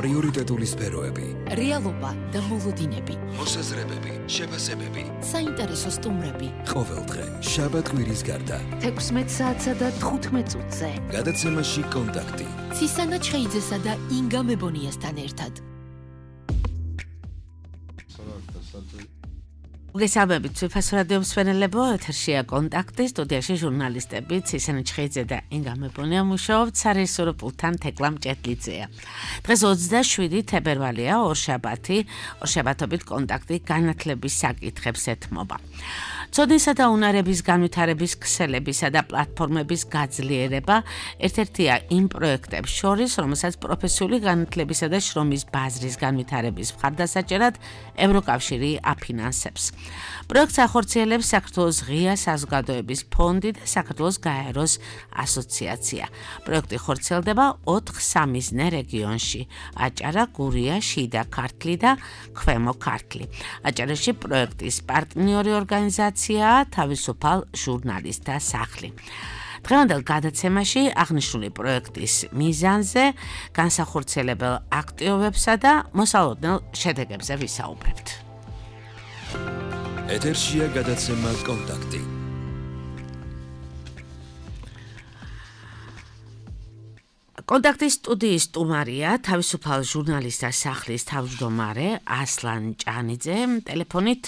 პრიორიტეტული სფეროები, რეალობა და მოლოდინები, მოსაზრებები, შეფასებები, საინტერესო სტუმრები. ყოველდღე შაბათ-კვირის გარდა 16 საათსა და 15 წუთზე. გადაცემაში კონტაქტი. ცისანა ჩხეიძესა და ინგა მებონიასთან ერთად. მოგესალმებით, ციფას რადიო მსმენელებო, ეთერშია კონტაქტი, სტუდიაში ჟურნალისტები ცისანა ჩხეიძე და ინგა მებონია მუშაობთ სარეჟისორო პულტთან თეკლა მჭედლიძეა. დღეს 27 თებერვალია, ორშაბათობით კონტაქტი განათლების საკითხებს ეთმობა. ცოდნისა და უნარების განვითარების ქსელებისა და პლატფორმების გაძლიერება ერთ-ერთია იმ პროექტებს შორის, რომელსაც პროფესიული განათლებისა და შრომის ბაზრის განვითარების მხარდასაჭერად ევროკავშირი აფინანსებს. პროექტს ახორციელებს საქართველოს ღია საზოგადოების ფონდი და საქართველოს გაეროს ასოციაცია. პროექტი ხორციელდება 4 სამიზნე რეგიონში: აჭარა, გურია, შიდა ქართლი და ქვემო ქართლი. აჭარაში პროექტის პარტნიორი ორგანიზაცია თავისუფალ ჟურნალისტთა სახლი. დღევანდელ გადაცემაში აღნიშნული პროექტის მიზანზე, განსახორციელებელ აქტივობებსა და მოსალოდნელ შედეგებზე ვისაუბრებთ. ეთერშია გადაცემა კონტაქტი. კონტაქტის სტუდიის სტუმარია თავისუფალ ჟურნალისტთა სახლის თავმჯდომარე ასლან ჭანიძე. ტელეფონით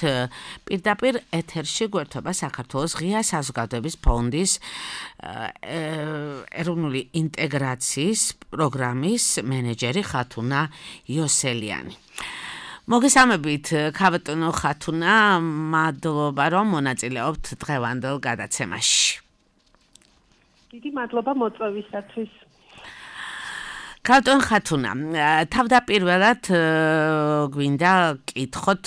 პირდაპირ ეთერში გვერდება საქართველოს ღია საზოგადოების ფონდის ეროვნული ინტეგრაციის პროგრამის მენეჯერი ხათუნა იოსელიანი. მოგესალმებით, ქაბატონო ხათუნა, მადლობა რომ მონაწილეობთ დღევანდელ გადაცემაში. დიდი მადლობა მოწვევისათვის. ქაბატონ ხათუნა, თავდაპირველად გვინდა გკითხოთ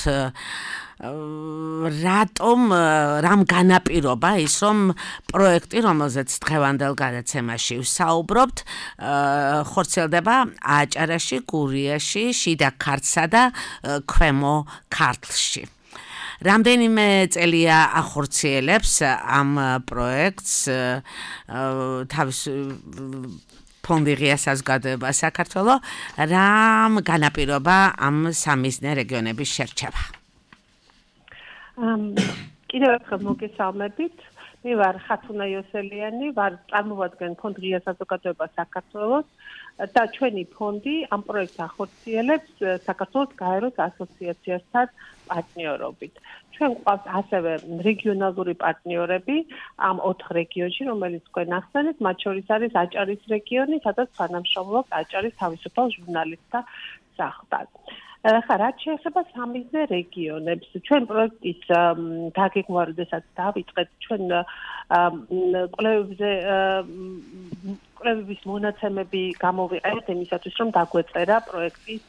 რამ განაპირობა ის, რომ პროექტი, რომელზეც დღევანდელ გადაცემაში ვსაუბრობთ, ხორციელდება აჭარაში, გურიაში, შიდა ქართლსა და ქვემო ქართლში. რამდენიმე წელია ახორციელებს ამ პროექტს თავის ფონდი ღია საზოგადოება საქართველოს, რამ განაპირობა ამ სამიზნე რეგიონების შერჩევა? კიდევ ერთხელ მოგესალმებით. მე ვარ ხათუნა იოსელიანი, ვარ წარმოვადგენ ფონდ ღია საზოგადოება საქართველოს და ჩვენი ფონდი ამ პროექტს ახორციელებს საქართველოს გაეროს ასოციაციასთან პარტნიორობით. ჩვენ გვყავს ასევე რეგიონალური პარტნიორები ამ 4 რეგიონში, რომელიც თქვენ ახსენეთ, მათ შორის არის აჭარის რეგიონი, სადაც თანამშრომლობს აჭარის თავისუფალ ჟურნალისტთა სახლთან. რაც შეეხება სამიზნე რეგიონებს, ჩვენ პროექტის დაგეგმვა, როდესაც დავიწყეთ, ჩვენ კვლევების მონაცემები გამოვიყენეთ იმისათვის, რომ დაგვეწერა პროექტის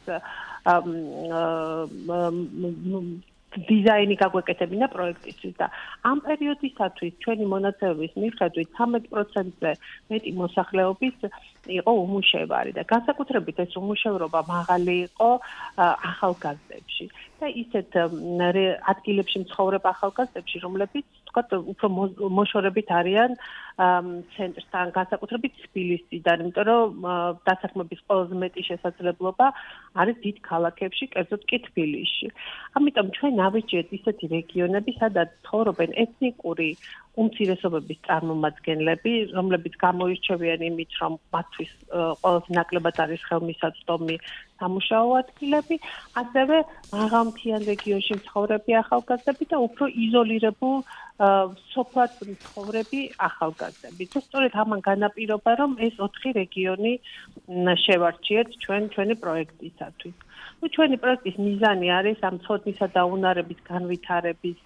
დიზაინი გაგვეკეთებინა პროექტისთვის და ამ პერიოდისათვის ჩვენი მონაცემების მიხედვით 13%-ზე მეტი მოსახლეობის იყო უმუშევარი და განსაკუთრებით ეს უმუშევრობა მაღალი იყო ახალგაზრდებში და ისეთ ადგილებში მცხოვრებ ახალგაზრდებში, რომლებიც თქვათ უფრო მოშორებით არიან ცენტრთან, განსაკუთრებით თბილისიდან, იმიტომ რომ დასაქმების ყველაზე მეტი შესაძლებლობა არის დიდ ქალაქებში, კერძოდ კი თბილისში. ამიტომ ჩვენ ავიჭერთ ისეთი რეგიონები, სადაც ცხოვრობენ ეთნიკური უმცირესობების წარმომადგენლები, რომლებიც გამოირჩევიან იმით, რომ მათთვის ყველაზე ნაკლებად არის ხელმისაწვდომი სამუშაო ადგილები, ასევე მაღალმთიან რეგიონში მცხოვრები ახალგაზრდები და უფრო იზოლირებულ სოფლად მცხოვრები ახალგაზრდები. და სწორედ ამან განაპირობა, რომ ეს 4 რეგიონი შევარჩიეთ ჩვენი პროექტისათვის. ჩვენი პროექტის მიზანი არის ამ ცოდნისა და უნარების განვითარების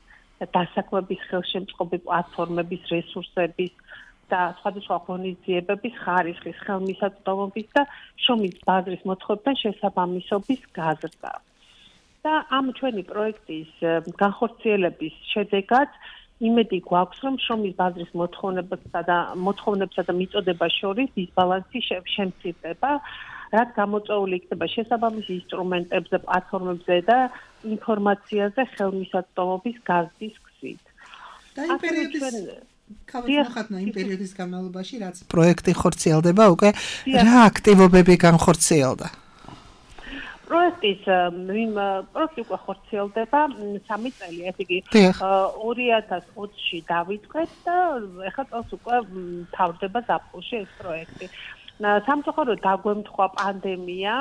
დასაქმების ხელშემწყობი პლატფორმების რესურსების და სხვადასხვა ღონისძიებების ხარისხის ხელმისაწვდომობის და შრომის ბაზრის მოთხოვებთან შესაბამისობის გაზრდა. და ამ ჩვენი პროექტის განხორციელების შედეგად იმედი გვაქვს, რომ შრომის ბაზრის მოთხოვნებსა და მიწოდებას შორის დისბალანსი შემცირდება, რაც გამოწვეული იქნება შესაბამისი ინსტრუმენტებზე, პლატფორმებზე და ინფორმაციაზე ხელმისაწვდომობის გაზრდის გზით. და იმ პერიოდის განმავლობაში, რაც პროექტი ხორციელდება, უკვე რა აქტივობები განხორციელდა? პროექტის პროექტი უკვე ხორციელდება 3 წელი, ესე იგი 2020-ში დავიწყეთ და ეხლა წელს უკვე თავდება ზაფხულში ეს პროექტი. სამწუხაროდ დაგვემთხვა პანდემია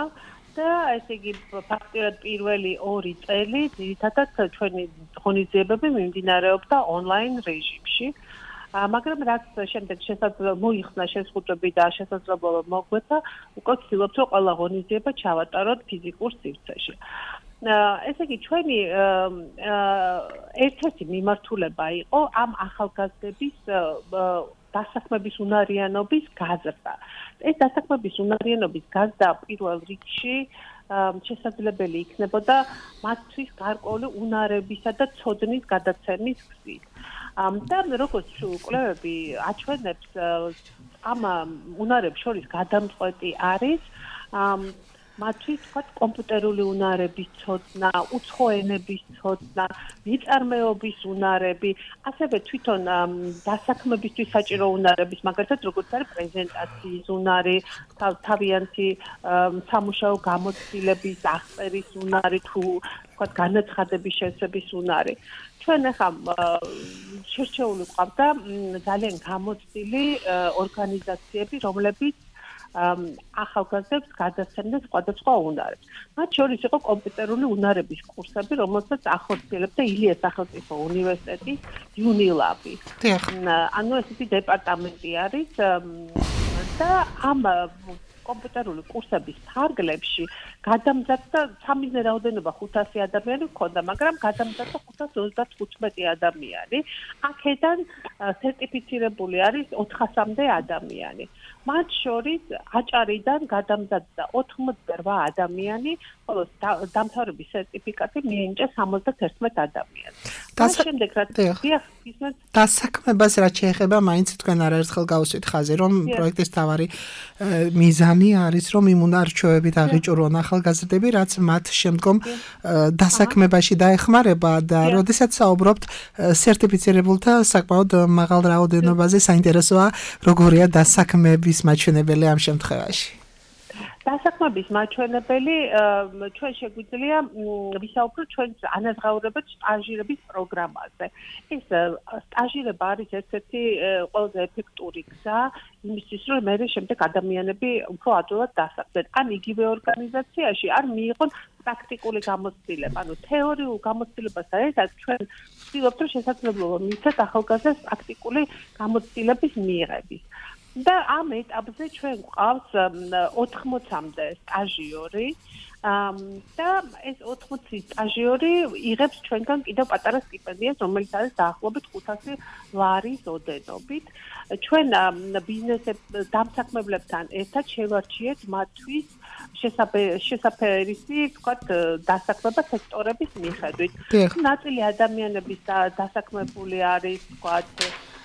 და ესე იგი ფაქტიურად პირველი 2 წელი ძირითადად ჩვენი ღონისძიებები მიმდინარეობდა ონლაინ რეჟიმში. მაგრამ რაც შემდეგ მოიხსნა შეზღუდვები და შესაძლებლობა მოგვეცა, უკვე ვცდილობთ, რომ ყველა ღონისძიება ჩავატაროთ ფიზიკურ სივრცეში. ესე იგი ჩვენი ერთ-ერთი მიმართულება იყო ამ ახალგაზრდების დასაქმების უნარიანობის გაზრდა. ეს დასაქმების უნარიანობის გაზრდა პირველ რიგში შესაძლებელი იქნებოდა მათთვის გარკვეული უნარებისა და ცოდნის გადაცემის გზით. და როგორც კვლევები აჩვენებს, ამ უნარებს შორის გადამწყვეტი არის მათთვის თქვა კომპიუტერული უნარების ცოდნა, უცხო ენების ცოდნა, მიწარმეობის უნარები, ასევე თვითონ დასაქმებისთვის საჭირო უნარების, მაგალითად როგორც არის პრეზენტაციის უნარი, თავიანთი სამუშაო გამოცდილების აღწერის უნარი, თუ თქვა განაცხადების შესწების უნარი. ჩვენ ახლა შერჩეული ყავდა ძალიან გამოცდილი ორგანიზაციები, რომლებიც ახალგაზრდებს გადასცემდნენ სხვადასხვა უნარებს. მათ შორის იყო კომპიუტერული უნარების კურსები, რომელსაც ახორციელებდა ილიას სახელმწიფო უნივერსიტეტის UNILAB-ი. ანუ ესეთი დეპარტამენტი არის და ამ კომპიუტერული კურსების ფარგლებში გადამზადდა სამიზნე რაოდენობა 500 ადამიანი ჰქონდა, მაგრამ გადამზადდა 535 ადამიანი. აქედან სერტიფიცირებული არის 400-მდე ადამიანი. მათ შორის აჭარიდან გადამზადდა 88 ადამიანი, ხოლო დამთავრების სერტიფიკატი მიენიჭა 71 ადამიანს. შემდეგ რაც დასაქმებას რაც შეეხება, მაინც თქვენ არაერთხელ გავუსვით ხაზი, რომ პროექტის თავარი მიზანი არის, რომ იმ უნარჩვევებით აღიჭურონ ახალგაზრდები, რაც მათ შემდგომ დასაქმებაში დაეხმარება და როდესაც საუბრობთ სერტიფიცირებულთა საკმაოდ მაღალ რაოდენობაზე, საინტერესოა როგორია დასაქმების მაჩვენებელი ამ შემთხვევაში. დასაქმების მაჩვენებელი ჩვენ შეგვიძლია ვისაუბროთ ჩვენ ანაზღაურებად სტაჟირების პროგრამაზე. ეს სტაჟირება არის ერთ-ერთი ყველაზე ეფექტური გზა იმისთვის, რომ მე შემდეგ ადამიანები უფრო ადვილად დასაქმდნენ. ან იგივე ორგანიზაციაში არ მიიღონ პრაქტიკული გამოცდილება. ანუ თეორიულ გამოცდილებასთან ერთად ჩვენ ვცდილობთ, რომ შესაძლებლობა მივცეთ ახალგაზრდებს პრაქტიკული გამოცდილების მიღების. და ამ ეტაპზე ჩვენ გვყავს 80-მდე სტაჟიორი და ეს 80 სტაჟიორი იღებს ჩვენგან კიდევ პატარა სტიპენდიას, რომელიც არის დაახლოებით 500 ლარის ოდენობით. ჩვენ ბიზნეს დამსაქმებლებთან ერთად შევარჩიეთ მათთვის შესაფერისი, ვთქვათ, დასაქმება სექტორების მიხედვით. ნაწილი ადამიანების დასაქმებული არის, ვთქვათ,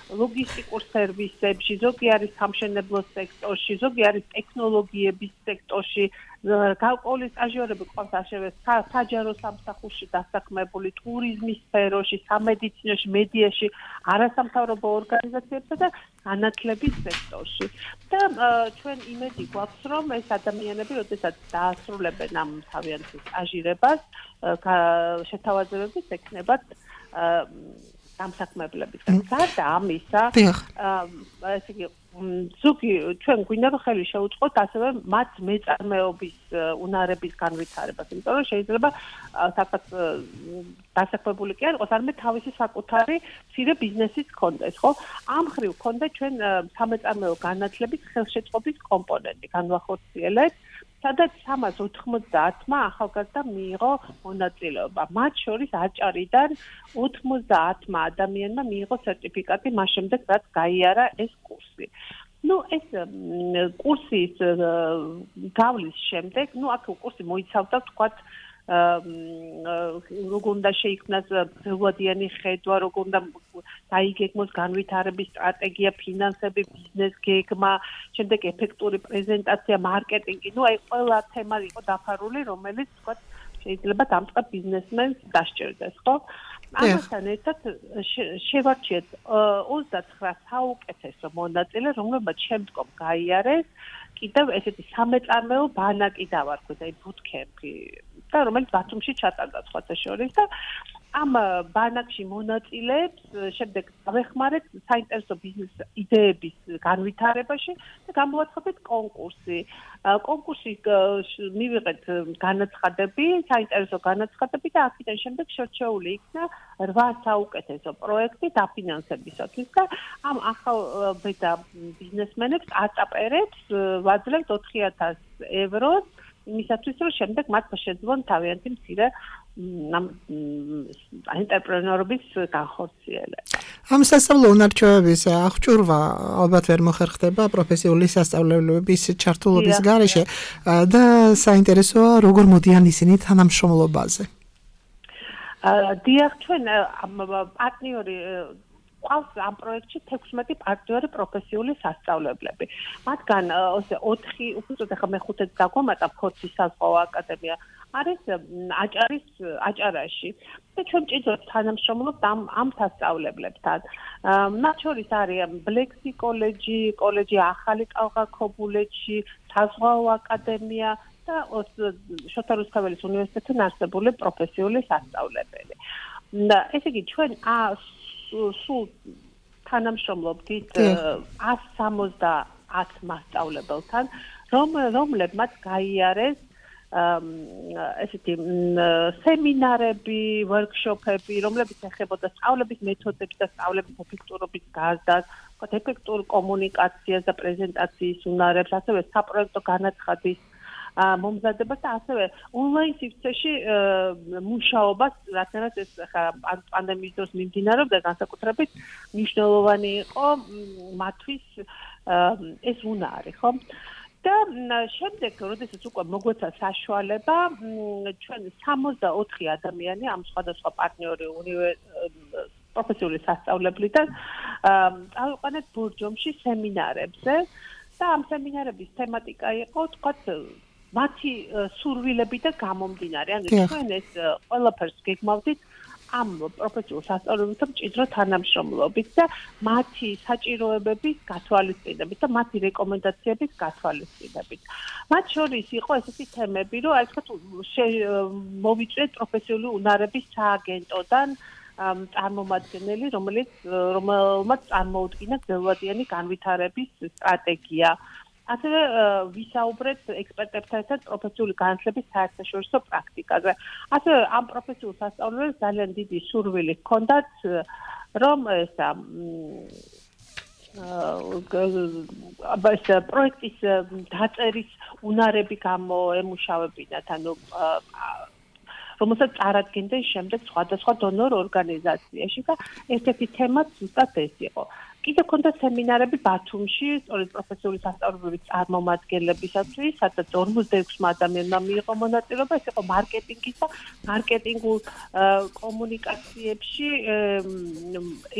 ლოგისტიკურ სერვისებში, ზოგი არის სამშენებლო სექტორში, ზოგი არის ტექნოლოგიების სექტორში, გარკვეული სტაჟიორები ყავს ასევე საჯარო სამსახურში დასაქმებული, ტურიზმის სფეროში, სამედიცინოში, მედიაში, არასამთავრობო ორგანიზაციებსა და განათლების სექტორში. და ჩვენ იმედი გვაქვს, რომ ეს ადამიანები, როდესაც დაასრულებენ ამ თავიანთ სტაჟირებას, შეთავაზებებით ექნებათ დამსაქმებლებისგან. გარდა ამისა, ესე იგი, ზოგი ჩვენ გვინდა რომ ხელი შეუწყოთ ასევე მათ მეწარმეობის უნარების განვითარებას, იმიტომ რომ შეიძლება საკაც დასაქმებული კი არ იყოს, არამედ თავისი საკუთარი მცირე ბიზნესიც ჰქონდეს, ხო? ამ ხრივ ჰქონდა ჩვენ სამეწარმეო განათლების ხელშეწყობის კომპონენტი განვახორციელეთ. სადაც 390-მა ახალგაზრდა მიიღო მონაწილეობა. მათ შორის აჭარიდან 90-მა ადამიანმა მიიღო სერტიფიკატი მას შემდეგ, რაც გაიარა ეს კურსი. ეს კურსის გავლის შემდეგ, აქ კურსი მოიცავდა, ვთქვათ, როგორ უნდა შეიქმნას ველოდიანი ხედვა, როგორ უნდა დაიგეგმოს განვითარების სტრატეგია, ფინანსები, ბიზნეს გეგმა, შემდეგ ეფექტური პრეზენტაცია, მარკეტინგი. აი ყველა თემა იყო დაფარული, რომელიც ვთქვათ შეიძლება დამწყებ ბიზნესმენს დასჭირდეს, ხო? ამასთან ერთად შევარჩიეთ 29 საუკეთესო მონაწილე, რომლებმაც შემდგომ გაიარეს კიდევ ესეთი სამეწარმეო ბანაკი დავარქვით, აი bootcamp-ი და რომელიც ბათუმში ჩატარდა სხვათა შორის და ამ ბანაკში მონაწილეებს შემდეგ დავეხმარეთ საინტერესო ბიზნეს იდეების განვითარებაში და გამოვაცხადეთ კონკურსი. კონკურსში მივიღეთ განაცხადები, საინტერესო განაცხადები და აქედან შემდეგ შერჩეული იქნა 8 საუკეთესო პროექტი დაფინანსებისათვის და ამ ახალ ბედა ბიზნესმენებს აწაპერებს ვაძლევთ 4000 ევროს იმისათვის რომ შემდეგ მათ შეძლონ თავიანთი მცირე ენტერპრენორობის განხორციელება. ამ სასწავლო უნარჩვევების აღჭურვა ალბათ ვერ მოხერხდება პროფესიული სასწავლებლების ჩართულობის გარეშე და საინტერესოა როგორ მოდიან ისინი თანამშრომლობაზე. დიახ, ჩვენ პარტნიორი ყავს ამ პროექტში 16 პარტნიორი პროფესიული სასწავლებლები. მათგან 4 უბრალოდ ახლა მე-5-ს დაგვამატა ფორცის საზღვაო აკადემია არის აჭარაში და ჩვენ ჭიდროდ თანამშრომლობთ ამ სასწავლებლებთან. მათ შორის არის ბლექსი კოლეჯი ახალი კალღაქობულეთში, საზღვაო აკადემია და შოთა რუსთაველის უნივერსიტეტთან არსებული პროფესიული სასწავლებელი. ესე იგი ჩვენ სულ თანამშრომლობთ 170 მასწავლებელთან, რომლებმაც გაიარეს ესეთი სემინარები, ვორქშოპები, რომლებიც ეხებოდა სწავლების მეთოდებს და სწავლების ეფექტურობის გაზრდას, ეფექტურ კომუნიკაციას და პრეზენტაციის უნარებს, ასევე საპროექტო განაცხადის მომზადებას და ასევე ონლაინ სივრცეში მუშაობას, რადგანაც ეს პანდემიის დროს მიმდინარეობდა განსაკუთრებით მნიშვნელოვანი იყო მათთვის ეს უნარი, ხო? და შემდეგ, როდესაც უკვე მოგვეცა საშუალება, ჩვენ 64 ადამიანი ამ სხვადასხვა პარტნიორი პროფესიული სასწავლებლიდან წავიყვანეთ ბორჯომში სემინარებზე და ამ სემინარების თემატიკა იყო, თქვათ, მათი სურვილებიდან გამომდინარე. ანუ ჩვენ ეს ყველაფერს გეგმავდით ამ პროფესიულ სასწავლებელთან მჭიდრო თანამშრომლობით და მათი საჭიროებების გათვალისწინებით და მათი რეკომენდაციების გათვალისწინებით. მათ შორის იყო ესეთი თემები, რომ აი თქვათ მოვიწვიეთ პროფესიული უნარების სააგენტოდან წარმომადგენელი, რომელმაც წარმოუდგინა გრძელვადიანი განვითარების სტრატეგია. ასევე ვისაუბრეთ ექსპერტებთან ერთად პროფესიული განათლების საერთაშორისო პრაქტიკაზე. ასევე ამ პროფესიულ სასწავლებლებს ძალიან დიდი სურვილი ჰქონდათ, რომ პროექტის დაწერის უნარები გამოემუშავებინათ, ანუ რომელსაც წარადგენდნენ შემდეგ სხვადასხვა დონორ ორგანიზაციაში და ერთ-ერთი თემაც ზუსტად ეს იყო. კიდევ ქონდა სემინარები ბათუმში, სწორედ პროფესიული სასწავლებლების წარმომადგენლებისათვის, სადაც 46 ადამიანმა მიიღო მონაწილეობა, ეს იყო მარკეტინგის და მარკეტინგულ კომუნიკაციებში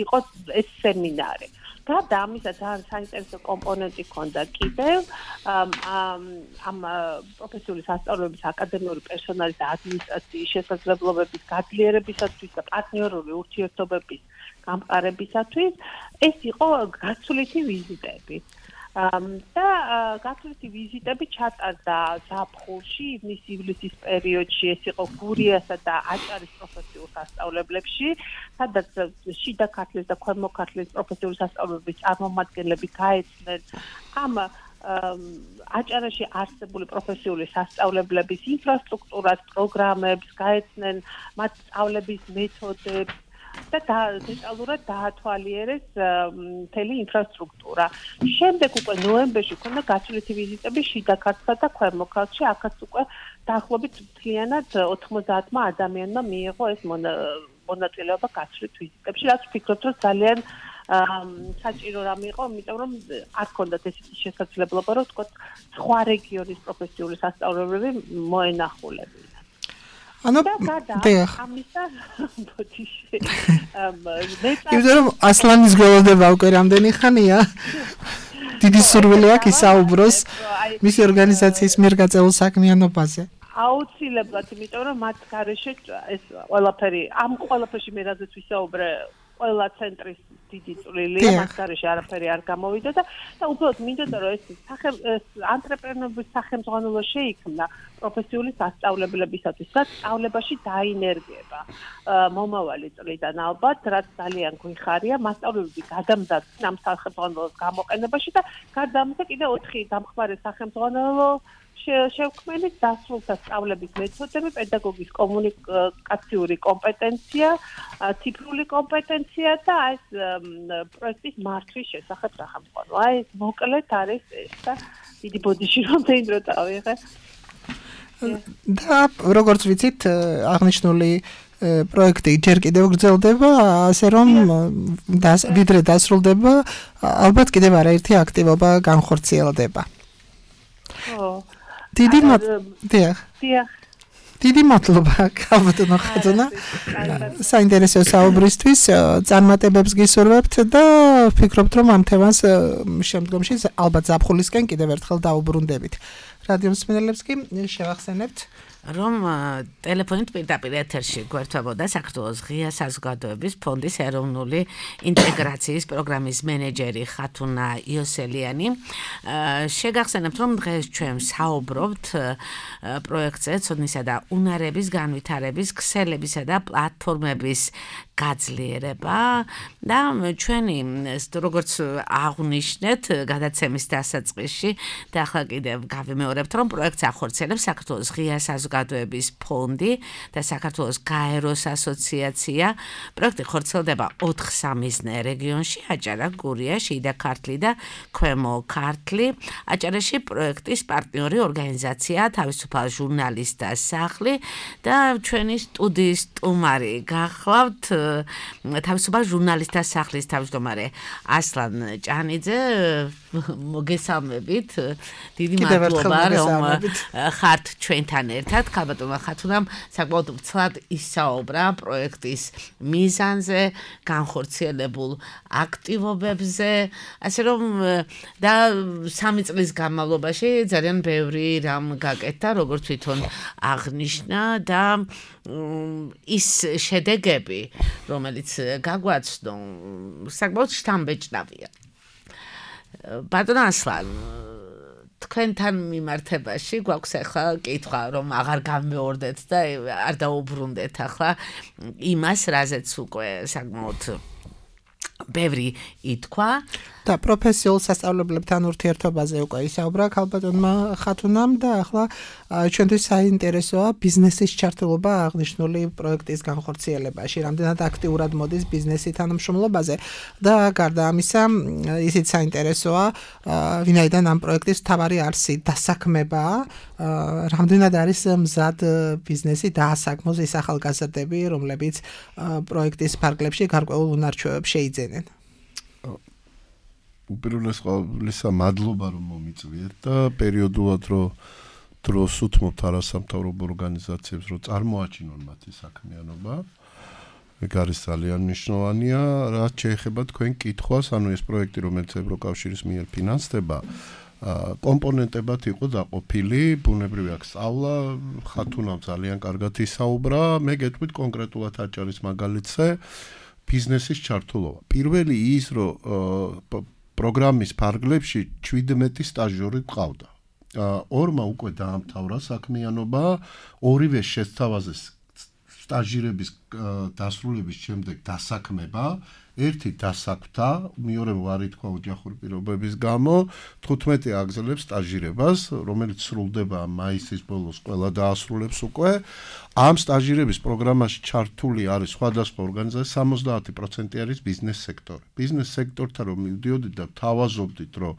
იყო ეს სემინარი. და ამისა ძალიან საინტერესო კომპონენტი ჰქონდა კიდევ ამ პროფესიული სასწავლებლების აკადემიური პერსონალის და ადმინისტრაციის შესაძლებლობების გაძლიერებისათვის და პარტნიორული ურთიერთობების გამყარებისათვის ეს იყო გაცვლითი ვიზიტები. და გაცვლითი ვიზიტები ჩატარდა ზაფხულში, ივნის-ივლისის პერიოდში, ეს იყო გურიასა და აჭარის პროფესიულ სასწავლებლებში, სადაც შიდა ქართლის და ქვემო ქართლის პროფესიული სასწავლებლების წარმომადგენლები გაეცნენ ამ აჭარაში არსებული პროფესიული სასწავლებლების ინფრასტრუქტურას, პროგრამებს, გაეცნენ მათ სწავლების მეთოდებს და დეტალურად დაათვალიერეს მთელი ინფრასტრუქტურა. შემდეგ უკვე ნოემბერში ქონდა გაცვლითი ვიზიტები შიდა ქართლსა და ქვემო ქართლში, აქაც უკვე დაახლოებით მთლიანად 90 ადამიანმა მიიღო ეს მონაწილეობა გაცვლით ვიზიტებში, რაც ვფიქრობ, რომ ძალიან საჭირო რამ იყო, იმიტომ რომ არ ქონდათ ესეთი შესაძლებლობა, რომ თქვა სხვა რეგიონის პროფესიული სასწავლებლები მოენახულებინათ. ანუ ამისა ბოდიში იმიტომ რომ ასლანის გველოდება უკვე რამდენი ხანია დიდი სურვილი აქვს ისაუბროს მისი ორგანიზაციის მიერ გაწეულ საქმიანობაზე. აუცილებლად, იმიტომ რომ მათ გარეშე ეს ყველაფერი ამ ყველაფერში მე რაზეც ვისაუბრე, ყველა ცენტრის დიდი წვლილია, მაგარში არაფერი არ გამოვიდა და უბრალოდ მინდოდა რომ ეს ანტრეპრენორების სახელმძღვანელო შეიქმნა პროფესიული სასწავლებლებისათვის, რაც სწავლებაში დაინერგება მომავალი წლიდან ალბათ, რაც ძალიან გვიხარია მასწავლებლები გადამზადდნენ ამ სახელმძღვანელოს გამოყენებაში და გარდა ამისა კიდევ 4 დამხმარე სახელმძღვანელო შევქმნით დასრულდა სწავლების მეთოდები, პედაგოგის კომუნიკაციური კომპეტენცია, ციფრული კომპეტენცია და ეს პროექტის მართვის შესახებ სახელმძღვანელო. ეს მოკლედ არის ეს და დიდი ბოდიში რომ დაინდრო დავიღე. და როგორც ვიცით, აღნიშნული პროექტი ჯერ კიდევ გრძელდება, ასე რომ ვიდრე დასრულდება, ალბათ კიდევ არაერთი აქტივობა განხორციელდება. დიდი მადლობა ქალბატონო ხატუნა საინტერესო საუბრისთვის, წარმატებებს გისურვებთ და ვფიქრობთ რომ ამ თემას შემდგომში ალბათ ზაფხულისკენ კიდევ ერთხელ დაუბრუნდებით. რადიო მსმენელებს კი შევახსენებთ რომ ტელეფონით პირდაპირ ეთერში გვერდთვებოდა საქართველოს ღია საზოგადოების ფონდის ეროვნული ინტეგრაციის პროგრამის მენეჯერი ხათუნა იოსელიანი. შეგახსენებთ რომ დღეს ჩვენ საუბრობთ პროექტზე ცოდნისა და უნარების განვითარების ქსელებისა და პლატფორმების გაძლიერება და ჩვენი როგორც აღნიშნეთ გადაცემის დასაწყისში და ახლა კიდევ გავიმეორებთ რომ პროექტს ახორციელებს საქართველოს ღია საზოგადოების ფონდი და საქართველოს გაეროს ასოციაცია. პროექტი ხორციელდება 4 სამიზნე რეგიონში: აჭარა, გურია, შიდა ქართლი და ქვემო ქართლი. აჭარაში პროექტის პარტნიორი ორგანიზაცია თავისუფალ ჟურნალისტთა სახლი და ჩვენი სტუდიის სტუმარი გახლავთ თავისუფალ ჟურნალისტთა სახლის თავმჯდომარე ასლან ჭანიძე. მოგესალმებით. დიდი მადლობა რომ ხართ ჩვენთან ერთად. ქალბატონმა ხათუნამ საკმაოდ მცლად ისაუბრა პროექტის მიზანზე, განხორციელებულ აქტივობებზე, ასე რომ და 3 წლის განმავლობაში ძალიან ბევრი რამ გაკეთდა, როგორც თვითონ აღნიშნა და ის შედეგები, რომელიც გაგვაცნო, საკმაოდ შთამბეჭდავია. ბატონ ასლან, თქვენთან მიმართებაში გვაქვს ახლა კითხვა, რომ აღარ გამეორდეთ და არ დაუბრუნდეთ ახლა იმას, რაზეც უკვე საკმაოდ ბევრი ითქვა და პროფესიულ სასწავლებლებთან ურთიერთობაზე უკვე ისაუბრა ქალბატონმა ხათუნამ და ახლა ჩვენთვის საინტერესოა ბიზნესის ჩართულობა აღნიშნული პროექტის განხორციელებაში, რამდენად აქტიურად მოდის ბიზნესი თანამშრომლობაზე და გარდა ამისა ისიც საინტერესოა ვინაიდან ამ პროექტის მთავარი არსი დასაქმებაა, რამდენად არის მზად ბიზნესი დაასაქმოს ის ახალგაზრდები, რომლებიც პროექტის ფარგლებში გარკვეულ უნარჩვევებს შეიძენენ. უპირველეს ყოვლისა მადლობა რომ მომიწვიეთ და პერიოდულად რომ დროს უთმობთ არასამთავრობო ორგანიზაციებს რომ წარმოაჩინონ მათი საქმიანობა. ეგ არის ძალიან მნიშვნელოვანია, რაც შეეხება თქვენ კითხვას, ანუ ეს პროექტი რომელიც ევროკავშირის მიერ ფინანსდება კომპონენტებად იყო დაყოფილი, ბუნებრივი აქვს სწავლა, ხათუნამ ძალიან კარგად ისაუბრა, მე გეტყვით კონკრეტულად აჭარის მაგალითზე ბიზნესის ჩართულობა. პირველი ის რომ პროგრამის ფარგლებში 17 სტაჟიორი ყავდა. 2-მა უკვე დაამთავრა საქმიანობა, ორივე შესთავაზე სტაჟირების დასრულების შემდეგ დასაქმება, ერთი დასაქმდა, მეორემ ვარ ითქვა ოჯახური პირობების გამო, 15 აგზელებს სტაჟირებას, რომელიც სრულდება მაისის ბოლოს, ყველა დაასრულებს უკვე. ამ სტაჟირების პროგრამაში ჩართული არის სხვადასხვა ორგანიზაცია, 70% არის ბიზნეს სექტორი. ბიზნეს სექტორთან რომ მივდიოდით და თავაზობდით, რომ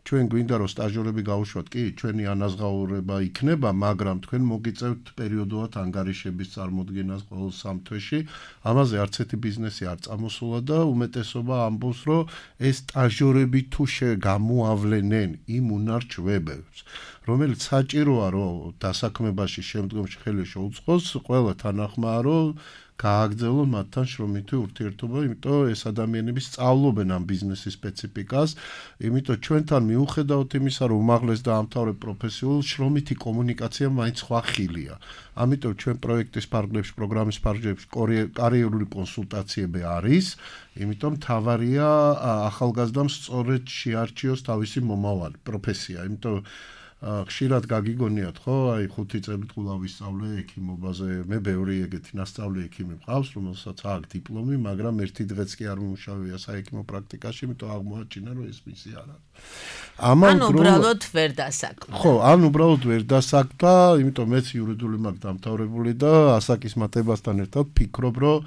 ჩვენ გვინდა რომ სტაჟიორები გაუშვათ, კი, ჩვენი ანაზღაურება იქნება, მაგრამ თქვენ მოგიწევთ პერიოდულად ანგარიშების წარმოდგენას ყოველ 3 თვეში. ამაზე არც ერთი ბიზნესი არ წამოსულა და უმეტესობა ამბობს, რომ ეს სტაჟიორები თუ გამოავლენენ იმ უნარჩვებებს, რომელიც საჭიროა, რომ დასაქმებაში შემდგომში ხელი შეუწყოს, ყველა თანახმაა, რომ გააგრძელონ მათთან შრომითი ურთიერთობა, იმიტომ ეს ადამიანები სწავლობენ ამ ბიზნესის სპეციფიკას, იმიტომ ჩვენთან მიუხედავად იმისა, რომ უმაღლეს დაამთავრებ პროფესიულ შრომითი კომუნიკაცია მაინც სხვა ხილია. ამიტომ ჩვენ პროექტის ფარგლებში, პროგრამის ფარგლებში კარიერული კონსულტაციები არის, იმიტომ თავარია ახალგაზრდამ სწორედ შეარჩიოს თავისი მომავალი პროფესია, იმიტომ ხშირად გაგიგონიათ ხო, აი 5 წელი კვლავ ვისწავლე ექიმობაზე, მე ბევრი ეგეთი ნასწავლი ექიმი მყავს, რომელსაც აქვს დიპლომი, მაგრამ ერთი დღეც კი არ მომუშავია საექიმო პრაქტიკაში, იმიტომ აღმოაჩინა, რომ ეს მისი არ არის. ანუ უბრალოდ ვერ დასაქმდა. ხო, ანუ უბრალოდ ვერ დასაქმდა, იმიტომ მეც იურიდიული მაქვს დამთავრებული და ასაკის მატებასთან ერთად ფიქრობ, რომ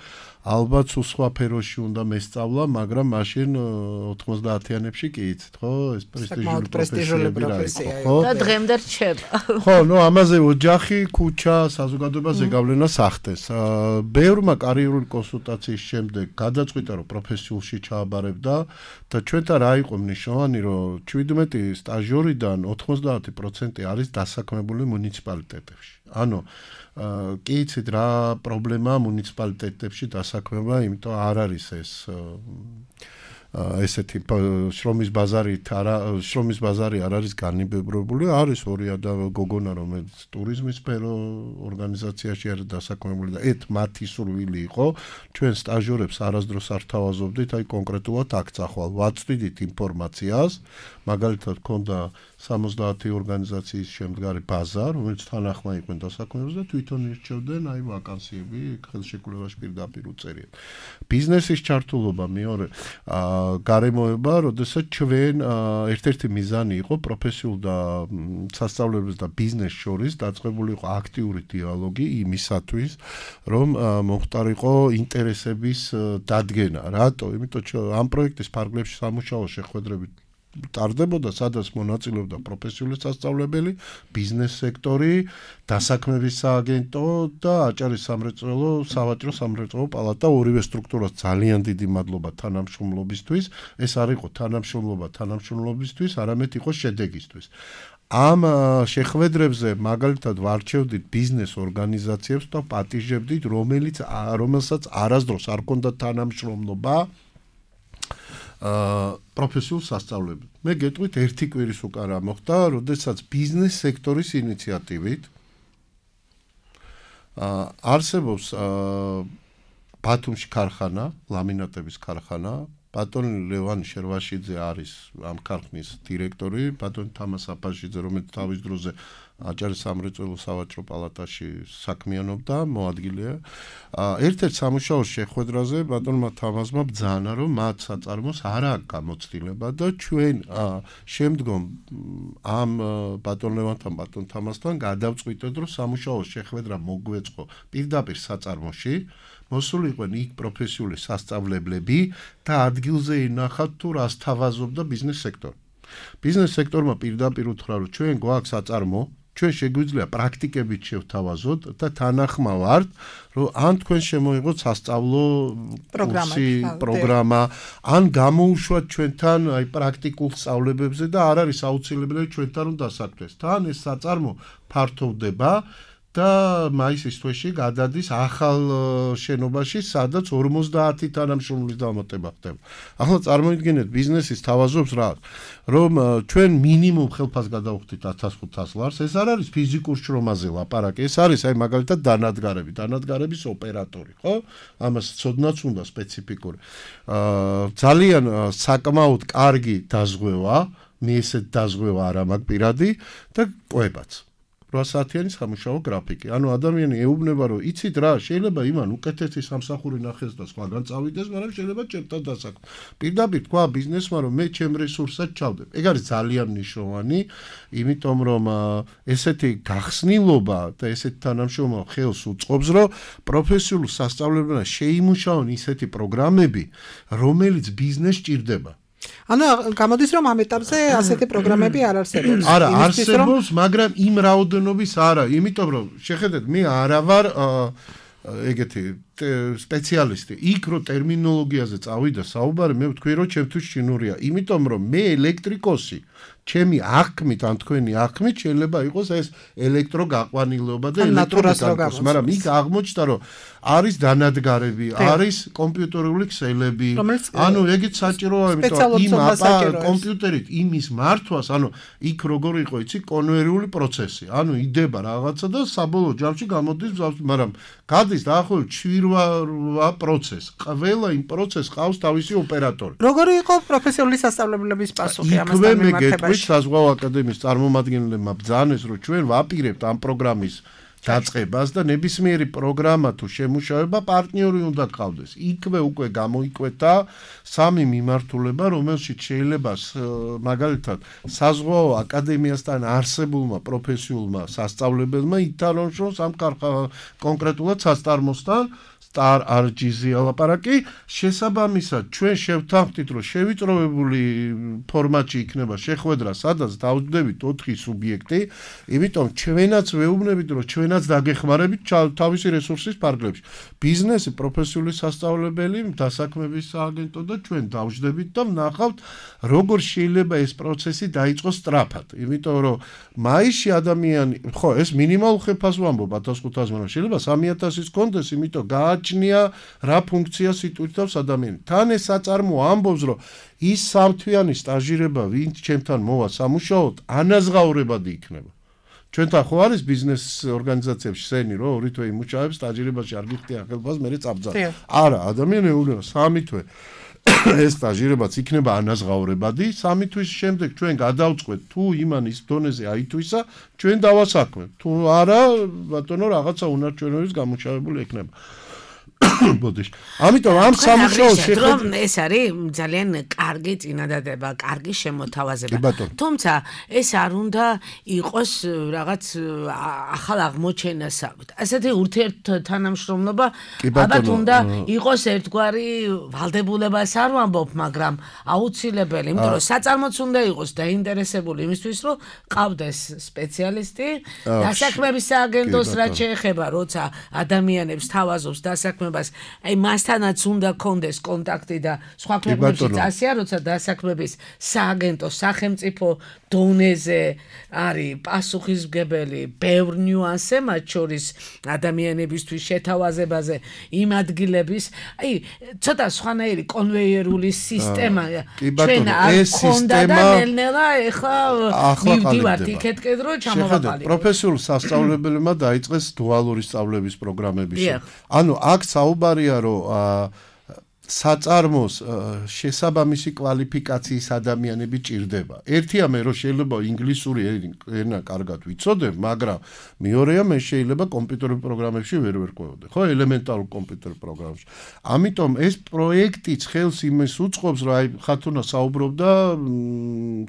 ალბათ სულ სხვა ფეროში უნდა მესწავლა, მაგრამ მაშინ 90-იანებში კი იცით, ხო? ეს პრესტიჟული პროფესია, ხო? და დღემდე რჩება. ხო, ნუ ამაზე ოჯახი, ქუჩა, საზოგადოება ზეგავლენა სახდეს. ბევრმა კარიერული კონსულტაციის შემდეგ გადაწყვიტა, რომ პროფესიულში ჩააბარებდა და ჩვენთან რა იყო მნიშვნელოვანი, რომ 17 სტაჟიორიდან 90% არის დასაქმებული მუნიციპალიტეტებში. ანუ კი იცით რა პრობლემაა მუნიციპალიტეტებში დასაქმება, იმიტომ არ არის ეს ესეთი შრომის ბაზარი არ არის განიბებრებული, არის ორი გოგონა, რომელიც ტურიზმის სფერო ორგანიზაციაში არის დასაქმებული და მათი სურვილი იყო, ჩვენ სტაჟიორებს არასდროს არ თავაზობდით, აი კონკრეტულად აქ წახვალ, ვაწვდით ინფორმაციას, მაგალითად ქონდა 70 ორგანიზაციის შემდგარი ბაზა, რომელიც თანახმა იყვნენ დასაქმებულს და თვითონ ირჩევდნენ აი ვაკანსიები ხელშეკრულებაში პირდაპირ უწერია. ბიზნესის ჩართულობა მეორე გარემოება, როდესაც ჩვენ ერთ-ერთი მიზანი იყო პროფესიულ და სასწავლებელს და ბიზნეს შორის დაწყებული იყო აქტიური დიალოგი იმისათვის, რომ მოხდარიყო ინტერესების დადგენა. რატო? იმიტომ ამ პროექტის ფარგლებში სამუშაო შეხვედრებით ტარდებოდა, სადაც მონაწილეობდა პროფესიული სასწავლებელი, ბიზნეს სექტორი, დასაქმების სააგენტო და აჭარის სამრეწველო, სავაჭრო სამრეწველო პალატა, ორივე სტრუქტურას ძალიან დიდი მადლობა თანამშრომლობისთვის. ეს არ იყო თანამშრომლობა თანამშრომლობისთვის, არამედ იყო შედეგისთვის. ამ შეხვედრებზე მაგალითად ვარჩევდით ბიზნეს ორგანიზაციებს და პატიჟებდით, რომელსაც არასდროს არ ჰქონდა თანამშრომლობა პროფესიულ სასწავლებლად. მე გეტყვით ერთი კვირის უკან რა მოხდა, როდესაც ბიზნეს სექტორის ინიციატივით არსებობს ბათუმში ქარხანა, ლამინატების ქარხანა, ბატონი ლევან შერვაშიძე არის ამ ქარხნის დირექტორი, ბატონი თამას აფაშიძე, რომელიც თავის დროზე აჭარის სამრეწველო სავაჭრო პალატაში საქმიანობდა, მოადგილეა. ერთ-ერთ სამუშაო შეხვედრაზე ბატონმა თამასმა ბრძანა, რომ მათ საწარმოს არ აქვს გამოცდილება და ჩვენ შემდგომ ამ ბატონ ლევანთან, ბატონ თამასთან გადავწყვიტეთ, რომ სამუშაო შეხვედრა მოგვეწყო პირდაპირ საწარმოში. მოსულიყვნენ იქ პროფესიული სასწავლებლები და ადგილზე ინახათ თუ რას თავაზობდა ბიზნეს სექტორი. ბიზნეს სექტორმა პირდაპირ უთხრა, რომ ჩვენ გვაქვს საწარმო, ჩვენ შეგვიძლია პრაქტიკებით შევთავაზოთ და თანახმა ვართ, რომ ან თქვენ შემოიღოთ სასწავლო პროგრამა, ან გამოუშვათ ჩვენთან აი პრაქტიკულ სწავლებებზე და არ არის აუცილებელი ჩვენთან რომ დასაქმდეს. თან ეს საწარმო ფართოვდება და მაისის თვეში გადადის ახალ შენობაში, სადაც 50 თანამშრომლის დამატება ხდება. ახლა წარმოიდგინეთ ბიზნესის თავაზობს რა, რომ ჩვენ მინიმუმ ხელფას გადავხდით 1500 ლარს, ეს არ არის ფიზიკურ შრომაზე ლაპარაკი, ეს არის აი მაგალითად დანადგარების ოპერატორი, ხო? ამას ცოდნაც უნდა სპეციფიკური. ძალიან საკმაოდ კარგი დაზღვევა, მე ესეთ დაზღვევა არ მაქვს პირადი და ყვებაც. 8 საათიანი სამუშაო გრაფიკი. ანუ ადამიანი ეუბნება, რომ იცით რა, შეიძლება იმან უკეთესი სამსახური ნახეს და სხვაგან წავიდეს, მაგრამ შეიძლება ჩემთან დასაქმდეს. პირდაპირ თქვა ბიზნესმა, რომ მე ჩემ რესურსად ჩავდებ. ეგ არის ძალიან მნიშვნელოვანი, იმიტომ რომ ესეთი გახსნილობა და ესეთი თანამშრომლობა ხელს უწყობს, რომ პროფესიულ სასწავლებელს შეიმუშაონ ისეთი პროგრამები, რომელიც ბიზნესს ჭირდება. ანუ გამოდის რომ ამ ეტაპზე ასეთი პროგრამები არ არსებობს. არა, არსებობს, მაგრამ იმ რაოდენობის არა, იმიტომ რომ შეხედეთ, მე არა ვარ ეგეთი სპეციალისტი. იქ რო ტერმინოლოგიაზე წავიდა საუბარი, მე ვთქვი რომ ჩემთვის შინურია, იმიტომ რომ მე ელექტრიკოსი ჩემი აღქმით ან თქვენი აღქმით შეიძლება იყოს ეს ელექტროგაყვანილობა და ელექტრომექანიკა, მაგრამ იქ აღმოჩნდა რომ არის დანადგარები, არის კომპიუტერული ქსელები. ანუ ეგეც საჭიროა, იმიტომ იმ კომპიუტერით იმის მართვას, ანუ იქ როგორ იყო, იცი, კონვეიერული პროცესი. ანუ იდება რაღაცა და საბოლოო ჯამში გამოდის, მაგრამ გადის დაახლოებით 7-8 პროცესი. ყველა იმ პროცესს ყავს თავისი ოპერატორი. როგორი იყო პროფესიული სასწავლებლების პასუხი ამასთან მემართებაში? მე გეტყვით მიმართებაში? საზღვაო აკადემიის წარმომადგენლებმა ბრძანეს, რომ ჩვენ ვაპირებთ ამ პროგრამის დაწყებას და ნებისმიერი პროგრამა თუ შემუშავება პარტნიორი უნდა გყავდეს. იქვე უკვე გამოიკვეთა 3 მიმართულება, რომელშიც შეიძლება მაგალითად საზღვაო აკადემიასთან არსებულმა პროფესიულმა სასწავლებელმა ითანხმოს ამ კონკრეტულად სასწარმოსთან Star RGZ ალაპარაკი შესაბამისად ჩვენ შევთანხმდით რომ შევიწროებული ფორმატში იქნება შეხვედრა სადაც დავჯდებით 4 სუბიექტი იმიტომ ჩვენაც ვეუბნებით რომ ჩვენაც დაგეხმარებით თავისი რესურსის ფარგლებში ბიზნესი პროფესიული სასწავლებელი დასაქმების სააგენტო და ჩვენ დავჯდებით და ვნახავთ როგორ შეიძლება ეს პროცესი დაიწყოს სწრაფად იმიტომ რომ მაისში ადამიანი ხო ეს მინიმალურ ხეფას ვამბობ 1500 მაგრამ შეიძლება 3000-ის კონდეს იმიტომ გააჩნია რა ფუნქციას იტვირთავს ადამიანი თან ეს საწარმო ამბობს რომ ის სამთვიანი სტაჟირება ვინც ჩემთან მოვა სამუშაოდ ანაზღაურებადი იქნება ჩვენთან ხო არის ბიზნეს ორგანიზაციებში სენი რომ 2 თვე იმუშავებს სტაჟირებაში არ გიხდიან ხელფას მე წაბძა არა ადამიანი ეუბნება 3 თვე ეს სტაჟირებაც იქნება ანაზღაურებადი 3 თვის შემდეგ ჩვენ გადავწყვეტ თუ იმანის დონეზე აითვისა ჩვენ დავასაქმებთ თუ არა ბატონო რაღაცა უნარჩვენობის გამომშავებული ექნება ბოდიში ამიტომ ამ სამუშაოს შეხედვით ეს არის ძალიან კარგი წინადადება, კარგი შემოთავაზება. თუმცა ეს არ უნდა იყოს რაღაც ახალ აღმოჩენასავით. ასეთი ურთიერთთანამშრომლობა ალბათ უნდა იყოს ერთგვარი ვალდებულებას არ ვამბობ, მაგრამ აუცილებელი, იმიტომ რომ საწარმოც უნდა იყოს დაინტერესებული იმისთვის, რომ ყავდეს სპეციალისტი, დასაქმების სააგენტოს რაც შეეხება, როცა ადამიანებს თავაზობს დასაქმებას აი მასთანაც უნდა კონდეს კონტაქტი და სხვა ქვეყნებში წასია, როცა დასაქმების სააგენტო სახელმწიფო დონეზე არის პასუხისმგებელი ბევრ ნიუანსზე, მათ შორის ადამიანებისთვის შეთავაზებაზე იმ ადგილების, აი ცოტა სხვანაირი კონვეიერული სისტემა ჩვენ არ გქონდა და ნელ-ნელა ეხლა მივდივართ იქეთკენ რომ ჩამოვაყალიბოთ. პროფესიულ სასწავლებელებმა დაიწყეს დუალური სწავლების პროგრამები. ანუ აქ საუბარია რომ საწარმოს შესაბამისი კვალიფიკაციის ადამიანები ჭირდება. ერთია მე რომ შეიძლება ინგლისური ენა კარგად ვიცოდებ, მაგრამ მეორეა მე შეიძლება კომპიუტერულ პროგრამებში ვერ ვერკვევოდე. ხო, ელემენტარულ კომპიუტერულ პროგრამებში. ამიტომ ეს პროექტიც ხელს იმის უწყობს, რომ აი ხათუნა საუბრობდა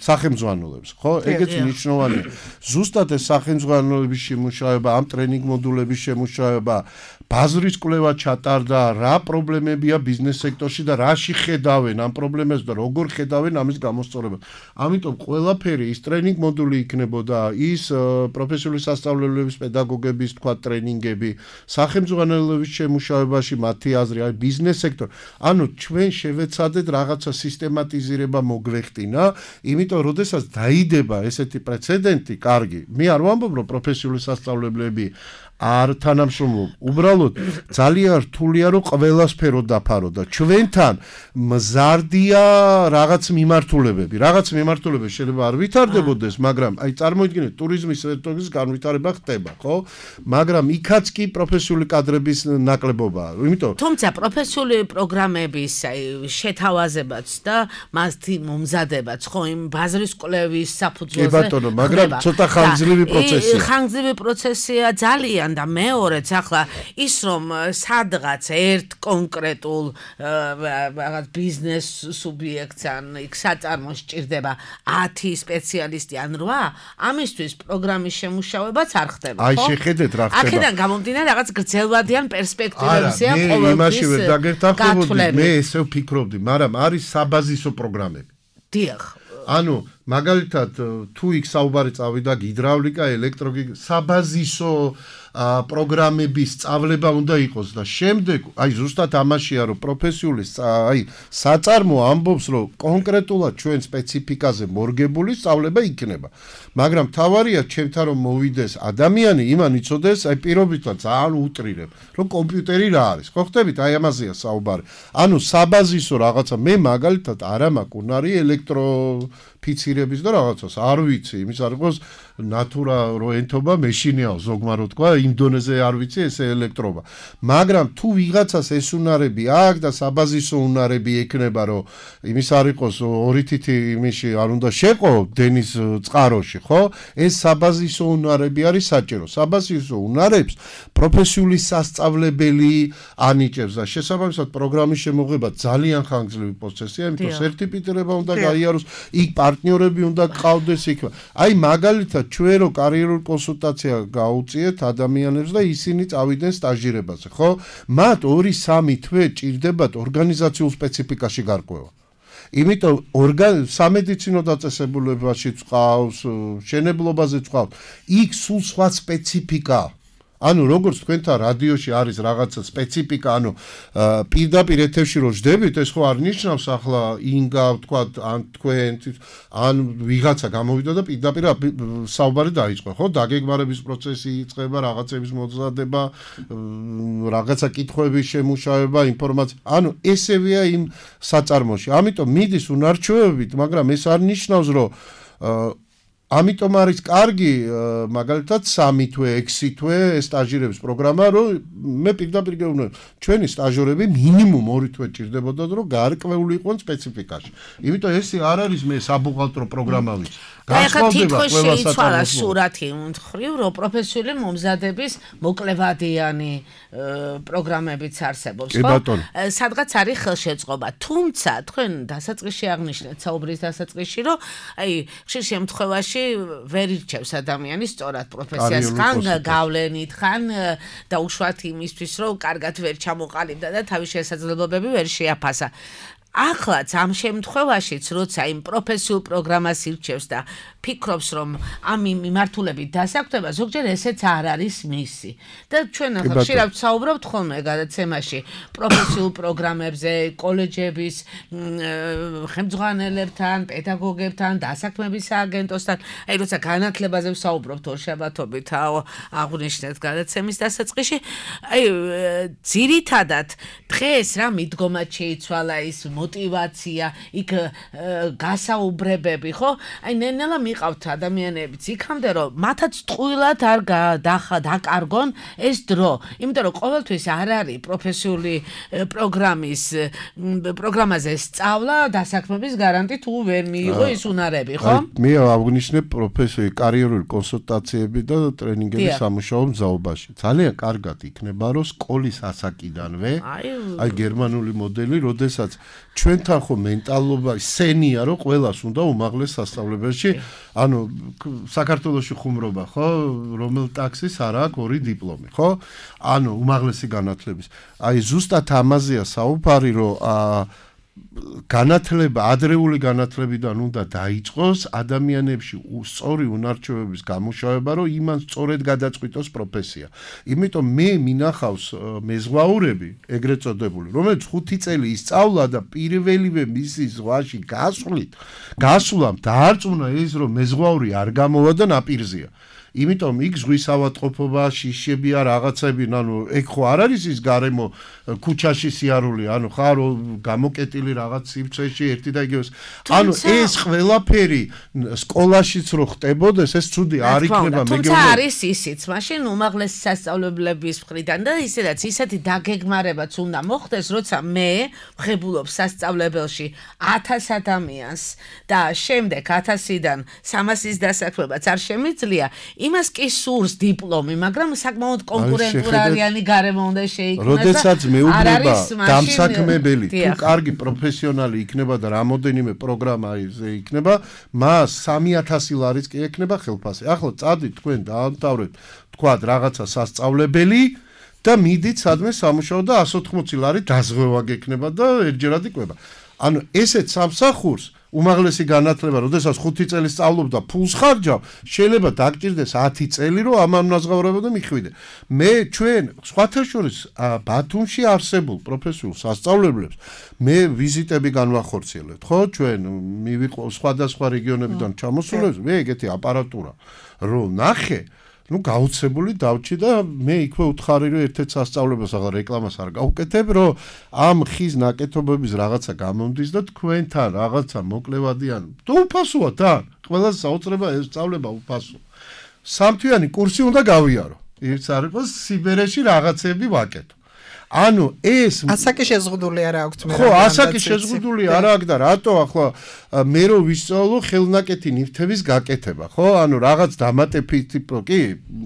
სახელმძღვანელოებს, ხო? ეგეც მნიშვნელოვანია. ზუსტად ეს სახელმძღვანელოების შემუშავება, ამ ტრენინგ მოდულების შემუშავება, ბაზრის კვლევა ჩატარდა, რა პრობლემებია ბიზნეს სექტორში და რაში ხედავენ ამ პრობლემებს და როგორ ხედავენ ამის გამოსწორებას. ამიტომ ყველაფერი ის ტრენინგ მოდული იქნებოდა, ის პროფესიული სასწავლებლების პედაგოგების თქვა ტრენინგები, სახელმძღვანელოების შემუშავებაში მათი აზრი, აი ბიზნეს სექტორი. ანუ ჩვენ შევეცადეთ რაღაცა სისტემატიზირება მოგვეხტინა, იმიტომ როდესაც დაიდება ესეთი პრეცედენტი, კარგი. მე არ ვამბობ რომ პროფესიული სასწავლებლები არ თანამშრომლობ. უბრალოდ ძალიან რთულია რომ ყველა სფერო დაფარო და ჩვენთან მზარდია რაღაც მიმართულებები. რაღაც მიმართულებები შეიძლება არ ვითარდებოდეს, მაგრამ აი წარმოიდგინეთ ტურიზმის სექტორის განვითარება ხდება, ხო? მაგრამ იქაც კი პროფესიული კადრების ნაკლებობაა. იმიტომ თუმცა პროფესიული პროგრამების აი შეთავაზებაც და მასთი მომზადებაც, ხო, იმ ბაზრის კვლევის საფუძველზე. კი ბატონო, მაგრამ ცოტა ხანგრძლივი პროცესია. ხანგრძლივი პროცესია ძალიან და მეორეც ახლა ის რომ სადღაც ერთ კონკრეტულ რაღაც ბიზნეს სუბიექტს ან იქ საწარმოს ჭირდება 10 სპეციალისტი ან 8 ამისთვის პროგრამის შემუშავებაც არ ხდება ხო? აი შეხედეთ რა ხდება. აქედან გამომდინარე რაღაც გრძელვადიან პერსპექტივებზეა ყოველთვის. მე იმაში ვერ დაგერთახებოდი, მე ესე ვფიქრობდი, მაგრამ არის საბაზისო პროგრამები. დიახ. ანუ მაგალითად თუ იქ საუბარი წავიდა გიდრავლიკა, საბაზისო პროგრამების სწავლება უნდა იყოს და შემდეგ აი ზუსტად ამაშია რომ პროფესიული საწარმო ამბობს რომ კონკრეტულად ჩვენ სპეციფიკაზე მორგებული სწავლება იქნება მაგრამ თავარია ჩემთან რომ მოვიდეს ადამიანი იმან იცოდეს აი პირობითად ძალიან უტრირებ რომ კომპიუტერი რა არის ხო ხდებით აი ამაზეა საუბარი ანუ საბაზისო რაღაცა მე მაგალითად არა მაქვს უნარი ელექტროფიცირების და რაღაცას არ ვიცი იმის არ იყოს ნატურა რო ენთობა მეშინიაო ზოგმა რო თქვა იმ დონეზე არ ვიცი ესე ელექტრობა მაგრამ თუ ვიღაცას ეს უნარები აქვს და საბაზისო უნარები ექნება რომ იმის არ იყოს ორი თითი იმიში არ უნდა შეყო დენის წყაროში ხო ეს საბაზისო უნარები არის საჭირო საბაზისო უნარებს პროფესიული სასწავლებელი ანიჭებს და შესაბამისად პროგრამის შემოღება ძალიან ხანგრძლივი პროცესია იმიტომ სერტიფიცირება უნდა გაიაროს იქ პარტნიორები უნდა გყავდეს იქ აი მაგალითად ჩვენ რო კარიერულ კონსულტაცია გაუწიეთ ადამიანებს და ისინი წავიდნენ სტაჟირებაზე, ხო? მათ 2-3 თვე ჭირდებათ ორგანიზაციულ სპეციფიკაში გარკვევა. იმიტომ სამედიცინო დაწესებულებაში წყავს, შენებლობაზე წყავს. იქ სულ სხვა სპეციფიკაა. ანუ როგორც თქვენთან რადიოში არის რაღაცა სპეციფიკა, ანუ პირდაპირ ეთერში რო ჯდებით, ეს ხო არ ნიშნავს ახლა ინგა ვთქვათ, ან თქვენ ან ვიღაცა გამოვიდა და პირდაპირ საუბარი დაიწყო, ხო? დაგეგმარების პროცესი იწყება, რაღაცების მოძრადება, რაღაცა კითხვების შემუშავება, ინფორმაცია. ანუ ესევეა იმ საწარმოში. ამიტომ მიდის უნარჩვევებით, მაგრამ ეს არ ნიშნავს, რომ ამიტომ არის კარგი მაგალითად 3 თვე 6 თვე სტაჟირების პროგრამა რომ მე პირდაპირ გეუბნები ჩვენი სტაჟორები მინიმუმ 2 თვე ჭირდებოდათ რომ გარკვეული იყვნენ სპეციფიკაში იმიტომ ეს არ არის მე საბუღალტრო პროგრამა ვიცი განსხვავდება ყველა შეიცვალა სურათი მხრივ რომ პროფესიული მომზადების მოკლევადიანი პროგრამებიც არსებობს ხო სადღაც არის ხელშეწყობა თუმცა თქვენ დასაწყისში აღნიშნეთ საუბრის დასაწყისში რომ აი ხშირ შემთხვევაში ვერ ირჩევს ადამიანი სწორად პროფესიას ხან გავლენით ხან და უშუალოდ იმისთვის რომ კარგად ვერ ჩამოყალიბდა და თავის შესაძლებლობები ვერ შეაფასა ახლაც ამ შემთხვევაშიც როცა იმ პროფესიულ პროგრამას ირჩევს და ფიქრობს რომ ამ მიმართულებით დასაქმება ზოგჯერ ესეც არ არის მისი და ჩვენ ხშირად ვსაუბრობთ ხოლმე გადაცემაში პროფესიულ პროგრამებზე კოლეჯების ხელმძღვანელებთან პედაგოგებთან დასაქმების სააგენტოსთან აი როცა განათლებაზე ვსაუბრობთ ორშაბათობით აღვნიშნეთ გადაცემის დასაწყისში აი ძირითადად დღეს რა მიდგომად შეიცვალა ის мотивация, იქ გასაუბრებები, ხო? აი ნენელა მიყავთ ადამიანებიც იქამდე რომ მათაც ტყუილად არ დაკარგონ ეს დრო, იმიტომ რომ ყოველთვის არ არის პროფესიული პროგრამაზე სწავლა დასაქმების გარანტი თუ ვერ მიიღო ის უნარები, ხო? მე აღვნიშნებ პროფესიული კარიერული კონსულტაციები და ტრენინგები სამუშაო მზაობაში. ძალიან კარგად იქნება რომ სკოლის ასაკიდანვე აი გერმანული მოდელი, როდესაც ჩვენთან ხო მენტალობა სენია რომ ყველას უნდა უმაღლეს სასწავლებელში ანუ საქართველოში ხუმრობა ხო რომელ ტაქსის არ აქვს 2 დიპლომი ხო ანუ უმაღლესი განათლების აი ზუსტად ამაზეა საუბარი რომ განათლება ადრეული განათლებიდან უნდა დაიწყოს ადამიანებში სწორი უნარჩვევების გამუშავება რომ იმან სწორედ გადაწყვიტოს პროფესია იმიტომ მე მინახავს მეზღვაურები ეგრეთ წოდებული რომელიც 5 წელი ისწავლა და პირველივე მისი ზღვაში გასვლამ დაარწმუნა ის რომ მეზღვაური არ გამოვა და ნაპირზეა იმიტომ იქ ზღვის ავადმყოფობა, შიშებია, რაღაცები, ანუ ეგ ხო არ არის ის გარემო ქუჩაში სიარული, ანუ ხარ გამოკეტილი რაღაც სივრცეში ერთი და იგივე. ანუ ეს ყველაფერი სკოლაშიც რო ხტებოდეს, ეს ცუდი არ იქნება მეგობრებო. თუმცა არის ისიც, მაშინ უმაღლესი სასწავლებლების მხრიდან და ისედაც ისეთი დაგეგმარებაც უნდა მოხდეს, როცა მე ვხებულობ სასწავლებელში 1000 ადამიანს და შემდეგ 1000-დან 300-ის დასაქმებაც არ შემიძლია. იმას კი სურს დიპლომი, მაგრამ საკმაოდ კონკურენტულარიანი გარემო უნდა შეიქმნას. როდესაც მეუბნება დამსაქმებელი, თუ კარგი პროფესიონალი იქნება და რამოდენიმე პროგრამა იქნება, მას 3000 ლარიც კი ექნება ხელფასი. ახლა წადით თქვენ დაამთავრეთ, თქვათ რაღაცა სასწავლებელი და მიდით სადმე სამუშაო და 180 ლარი დაზღვევა გექნება და ერთჯერად იკვება. ანუ ესეც სამსახურს უმაღლესი განათლება, როდესაც 5 წელი სწავლობდა, ფულს ხარჯავ, შეიძლება დაგჭირდეს 10 წელი, რომ ამ ნაზღაურებოდა მიხვიდე. მე ჩვენ სხვათა შორის ბათუმში არსებულ პროფესიულ სასწავლებლებს მე ვიზიტები განვახორციელებთ, ხო? ჩვენ მივიყო სხვადასხვა რეგიონებიდან ჩამოსულებს, მე ეგეთი აპარატურა რომ ნახე გაუცებული დავჭი და მე იქვე უთხარი რომ ერთ-ერთ სასწავლებლებს აღარ რეკლამას არ გავუკეთებ, რომ ამ ხის ნაკეთობების რაღაცა გამომდის და თქვენთან რაღაცა მოკლევადიან. თუ უფასოა თან, ყველა საოცრება ესწავლება უფასო. სამთვიანი კურსი უნდა გავიარო. ის არ იყოს სიბერეში რაღაცები ვაკეთო. ანუ ეს ასაკი შეზღუდული არ აქვს მე. ხო, ასაკი შეზღუდული არ აქვს და რატო ახლა მე რო ვისწავლო ხელნაკეთი ნივთების გაკეთება, ხო? ანუ რაღაც დამატებით კი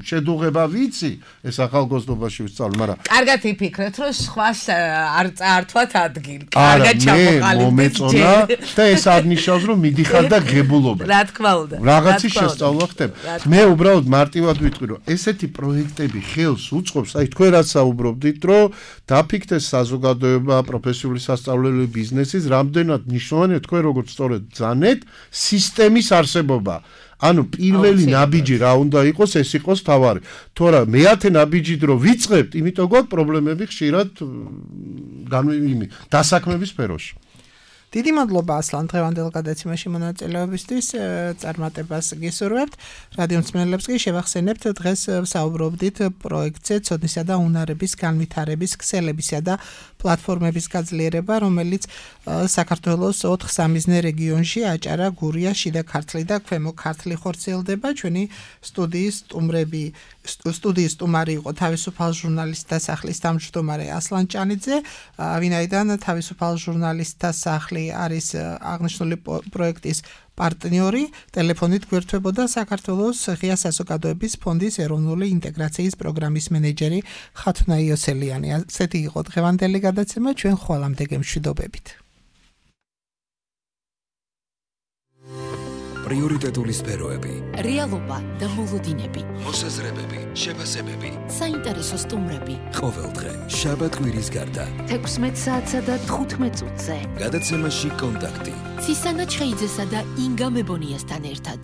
შედუღება ვიცი, ეს ახალგაზრდობაში ვისწავლე, მაგრამ კარგად იფიქრეთ, რომ სხვას არ წაართვათ ადგილი. კარგად ჩამოყალიბდეთ. მომეწონა და ეს არ ნიშნავს, რომ მიდიხარ და ღებულობ. რა თქმა უნდა. რაღაცის შესწავლა ხდება. მე უბრალოდ მარტივად ვიტყვი, რომ ესეთი პროექტები ხელს უწყობს, აი თქვენ რაც საუბრობდით, რომ დაფიქრდეს საზოგადოება, პროფესიული სასწავლებელი ბიზნესის, რამდენად მნიშვნელოვანია თქვენ როგორც სწორედ ძანეთ სისტემის არსებობა. ანუ პირველი ნაბიჯი რა უნდა იყოს, ეს იყოს თავარი. თორე მეათე ნაბიჯი დრო ვიწყებთ, იმიტომ გვაქვს პრობლემები ხშირად დასაქმების სფეროში. დიდი მადლობა ასლან დღევანდელ გადაცემაში მონაწილეობისთვის, წარმატებას გისურვებთ. რადიო მსმენელებს კი შევახსენებთ, დღეს საუბრობდით პროექტზე ცოდნისა და უნარების განვითარების ქსელებისა და პლატფორმების გაძლიერება, რომელიც საქართველოს 4 სამიზნე რეგიონში აჭარა, გურია, შიდა ქართლი და ქვემო ქართლი ხორციელდება. ჩვენი სტუდიის სტუმარი იყო თავისუფალ ჟურნალისტთა სახლის თავმჯდომარე ასლან ჭანიძე, ვინაიდან თავისუფალ ჟურნალისტთა სახლი არის აღნიშნული პროექტის პარტნიორი, ტელეფონით გვერდებოდა საქართველოს ღია საზოგადოების ფონდის ეროვნული ინტეგრაციის პროგრამის მენეჯერი ხათუნა იოსელიანი. ასეთი იყო დღევანდელი გადაცემა, ჩვენ ხვალამდე გემშვიდობებით. პრიორიტეტული სფეროები, რეალობა და მოლოდინები, მოსაზრებები, შეფასებები, საინტერესო სტუმრები. ყოველდღე შაბათ-კვირის გარდა 16 საათსა და 15 წუთზე. გადაცემაში კონტაქტი. ცისანა ჩხეიძესა და ინგა მებონიასთან ერთად.